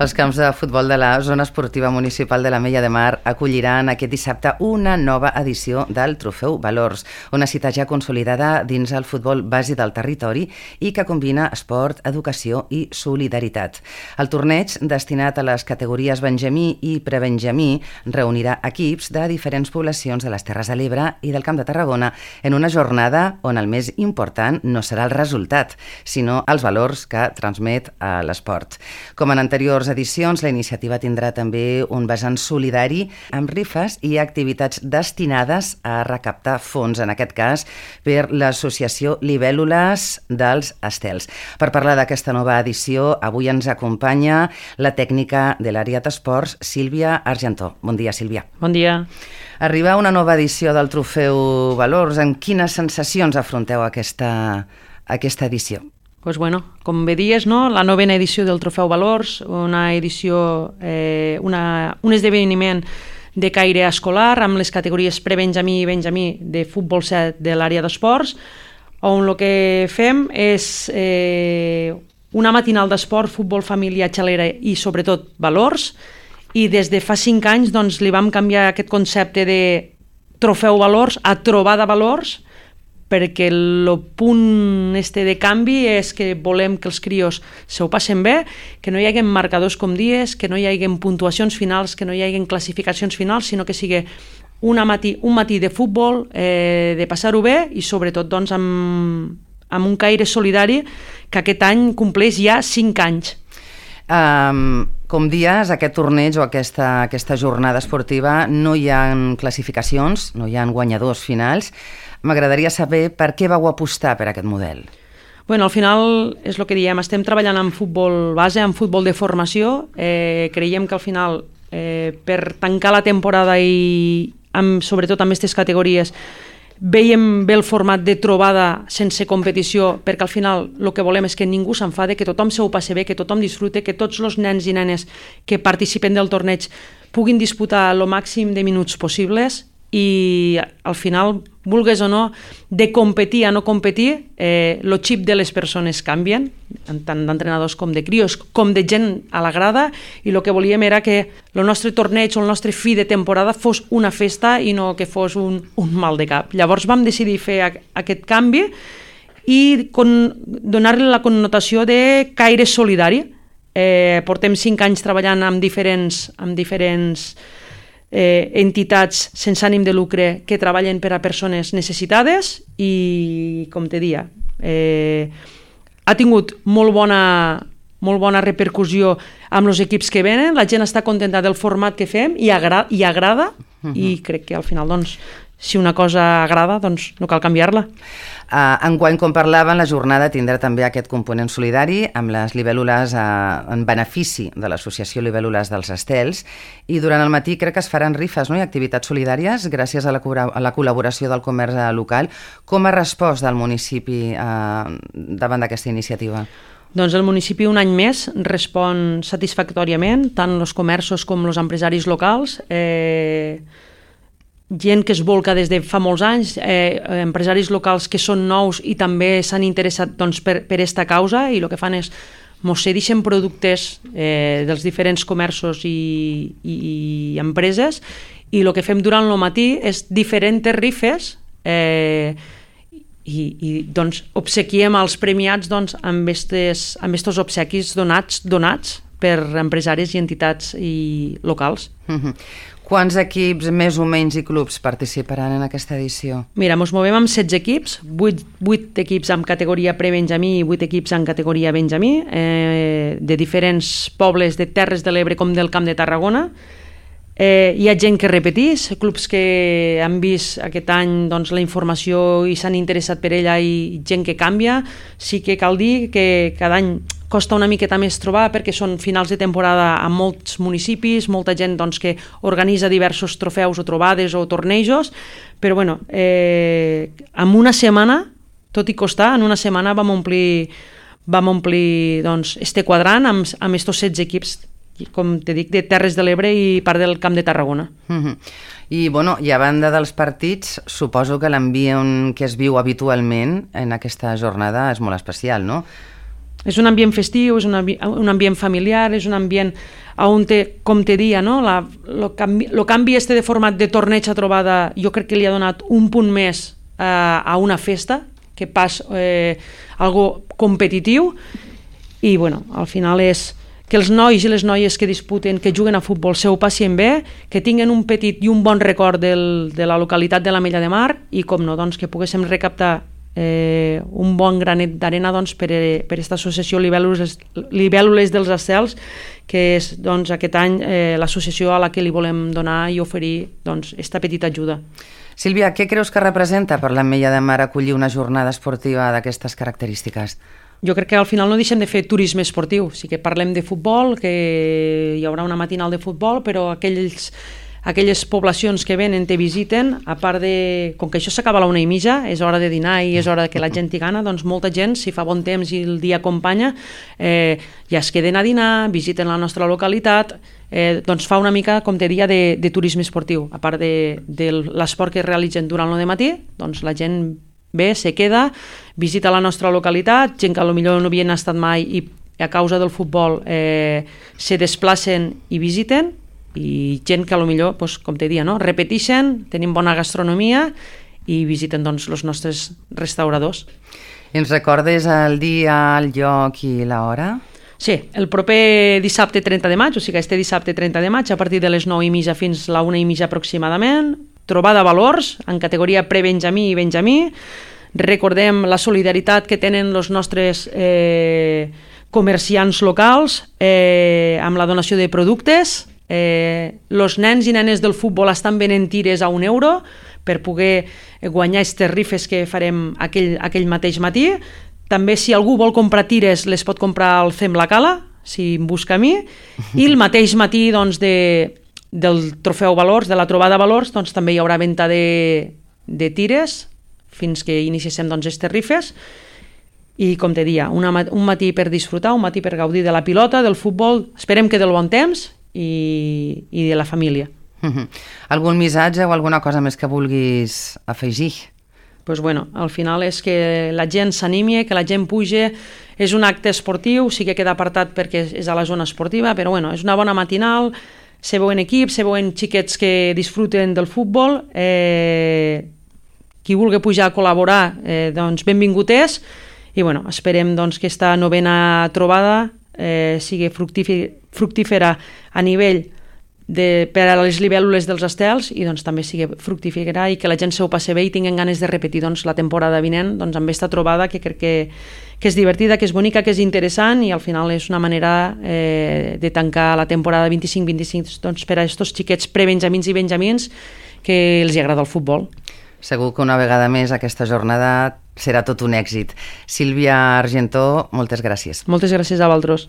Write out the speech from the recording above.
Els camps de futbol de la Zona Esportiva Municipal de l'Ametlla de Mar acolliran aquest dissabte una nova edició del Trofeu Valors, una cita ja consolidada dins el futbol base del territori i que combina esport, educació i solidaritat. El torneig, destinat a les categories Benjamí i Prebenjamí, reunirà equips de diferents poblacions de les Terres de l'Ebre i del Camp de Tarragona en una jornada on el més important no serà el resultat, sinó els valors que transmet l'esport. Com en anteriors edicions, la iniciativa tindrà també un vessant solidari amb rifes i activitats destinades a recaptar fons, en aquest cas per l'associació Libèl·lules dels Estels. Per parlar d'aquesta nova edició, avui ens acompanya la tècnica de l'àrea d'esports, Sílvia Argentó. Bon dia, Sílvia. Bon dia. Arriba una nova edició del Trofeu Valors. Amb quines sensacions afronteu aquesta edició? Pues bueno, com bé dies, no? La novena edició del Trofeu Valors, una edició, un esdeveniment de caire escolar amb les categories Prebenjamí i Benjamí de futbol 7 de l'àrea d'esports, on el que fem és una matinal d'esport, futbol, família, xalera i sobretot valors, i des de fa 5 anys doncs, li vam canviar aquest concepte de Trofeu Valors a Trobada Valors, perquè el punt de canvi és que volem que els crios se ho passen bé, que no hi hagi marcadors com dies, que no hi hagi puntuacions finals, que no hi hagi classificacions finals, sinó que sigui un matí de futbol, de passar-ho bé i sobretot doncs, amb un caire solidari que aquest any compleix ja 5 anys. Com dies, aquest torneig o aquesta jornada esportiva no hi ha classificacions, no hi ha guanyadors finals. M'agradaria saber per què vau apostar per aquest model. Bueno, al final és el que diem, estem treballant en futbol base, en futbol de formació. Creiem que al final, per tancar la temporada i sobretot amb aquestes categories, veiem bé el format de trobada sense competició, perquè al final el que volem és que ningú s'enfade, que tothom se ho passi bé, que tothom disfrute, que tots els nens i nenes que participen del torneig puguin disputar el màxim de minuts possibles i al final, vulgues o no, de competir a no competir, el xip de les persones canvien, tant d'entrenadors com de crios, com de gent a la grada, i el que volíem era que el nostre torneig o el nostre fi de temporada fos una festa i no que fos un mal de cap. Llavors vam decidir fer aquest canvi i donar-li la connotació de caire solidari. Portem 5 anys treballant amb diferents entitats sense ànim de lucre que treballen per a persones necessitades i, com te dia, ha tingut molt bona repercussió amb els equips que venen, la gent està contenta del format que fem i agrada, i crec que al final, doncs, si una cosa agrada, doncs no cal canviar-la. Enguany, com parlaven, la jornada tindrà també aquest component solidari amb les libèl·lules en benefici de l'associació Libèl·lules dels Estels, i durant el matí crec que es faran rifes, no? I activitats solidàries gràcies a la col·laboració del comerç local. Com ha respost el municipi davant d'aquesta iniciativa? Doncs el municipi un any més respon satisfactòriament, tant els comerços com els empresaris locals, gent que es volca des de fa molts anys, empresaris locals que són nous i també s'han interessat doncs, per aquesta causa, i el que fan és mos cedeixen productes dels diferents comerços i empreses, i el que fem durant el matí és diferents rifes i doncs, obsequiem als premiats doncs, amb estos obsequis donats per empresaris i entitats locals. Quants equips, més o menys, i clubs participaran en aquesta edició? Mira, ens movem amb 16 equips, 8 equips en categoria Prebenjamí i 8 equips en categoria Benjamí, de diferents pobles de Terres de l'Ebre com del Camp de Tarragona. Hi ha gent que repetís, clubs que han vist aquest any doncs, la informació i s'han interessat per ella, i gent que canvia. Sí que cal dir que cada any costa una miqueta més trobar perquè són finals de temporada a molts municipis, molta gent doncs, que organitza diversos trofeus o trobades o tornejos, però bueno, en una setmana, tot i costar, en una setmana vam omplir doncs, este quadrant amb estos 16 equips, com te dic, de Terres de l'Ebre i part del Camp de Tarragona. I, bueno, i a banda dels partits, suposo que l'ambient que es viu habitualment en aquesta jornada és molt especial, no? És un ambient festiu, és un ambient familiar, és un ambient on, com te dia, no? El canvi de format de torneig a trobada jo crec que li ha donat un punt més a una festa, que pas algo competitiu, i bueno, al final és que els nois i les noies que disputen, que juguen a futbol, s'ho passin bé, que tinguen un petit i un bon record de la localitat de l'Ametlla de Mar i, com no, doncs, que poguéssim recaptar un bon granet d'arena doncs, per aquesta associació Libèl·lules dels Estels, que és doncs, aquest any l'associació a la que li volem donar i oferir doncs, esta petita ajuda. Sílvia, què creus que representa per l'Ametlla de Mar acollir una jornada esportiva d'aquestes característiques? Jo crec que al final no deixem de fer turisme esportiu. Sí que parlem de futbol, que hi haurà una matinal de futbol, però aquelles poblacions que venen, te visiten, a part de... Com que això s'acaba a la 1:30, és hora de dinar i és hora que la gent hi gana, doncs molta gent, si fa bon temps i el dia acompanya, ja es queden a dinar, visiten la nostra localitat, doncs fa una mica, com te deia, de turisme esportiu. A part de l'esport que realitzen durant el matí, doncs la gent ve, se queda, visita la nostra localitat, gent que potser no havien estat mai i a causa del futbol se desplacen i visiten, i gent que potser, doncs, com te deia, no? Repeteixen, tenim bona gastronomia i visiten doncs, els nostres restauradors. Ens recordes el dia, el lloc i l'hora? Sí, el proper dissabte 30 de maig, o sigui, este dissabte 30 de maig, a partir de les 9:30 fins a la 1:30 aproximadament, trobada valors en categoria pre-benjamí i benjamí. Recordem la solidaritat que tenen els nostres comerciants locals amb la donació de productes. Els nens i nenes del futbol estan venent tires a €1 per poder guanyar aquestes rifes que farem aquell mateix matí. També, si algú vol comprar tires, les pot comprar al Fem la Cala, si em busca a mi, i el mateix matí doncs, del trofeu Valors, de la trobada Valors, doncs també hi haurà venda de tires fins que iniciéssim doncs, aquestes rifes. I, com te deia, un matí per disfrutar, un matí per gaudir de la pilota, del futbol, esperem que del bon temps i de la família. Algun missatge o alguna cosa més que vulguis afegir? Pues bueno, al final és que la gent s'animi, que la gent pugi. És un acte esportiu, sí que queda apartat perquè és a la zona esportiva, però bueno, és una bona matinal, se veuen equips, se veuen xiquets que disfruten del futbol. Qui vulgui pujar a col·laborar, doncs benvingut és. I bueno, esperem doncs, que aquesta novena trobada sigui fructífera a nivell per a les libèl·lules dels Estels i doncs, també sigui fructífera i que la gent s'ho passi bé i tinguin ganes de repetir doncs, la temporada vinent doncs, amb aquesta trobada que crec que és divertida, que és bonica, que és interessant i al final és una manera de tancar la temporada 25-26 doncs, per a aquests xiquets pre-benjamins i benjamins que els agrada el futbol. Segur que una vegada més aquesta jornada serà tot un èxit. Sílvia Argentó, moltes gràcies. Moltes gràcies a vosaltres.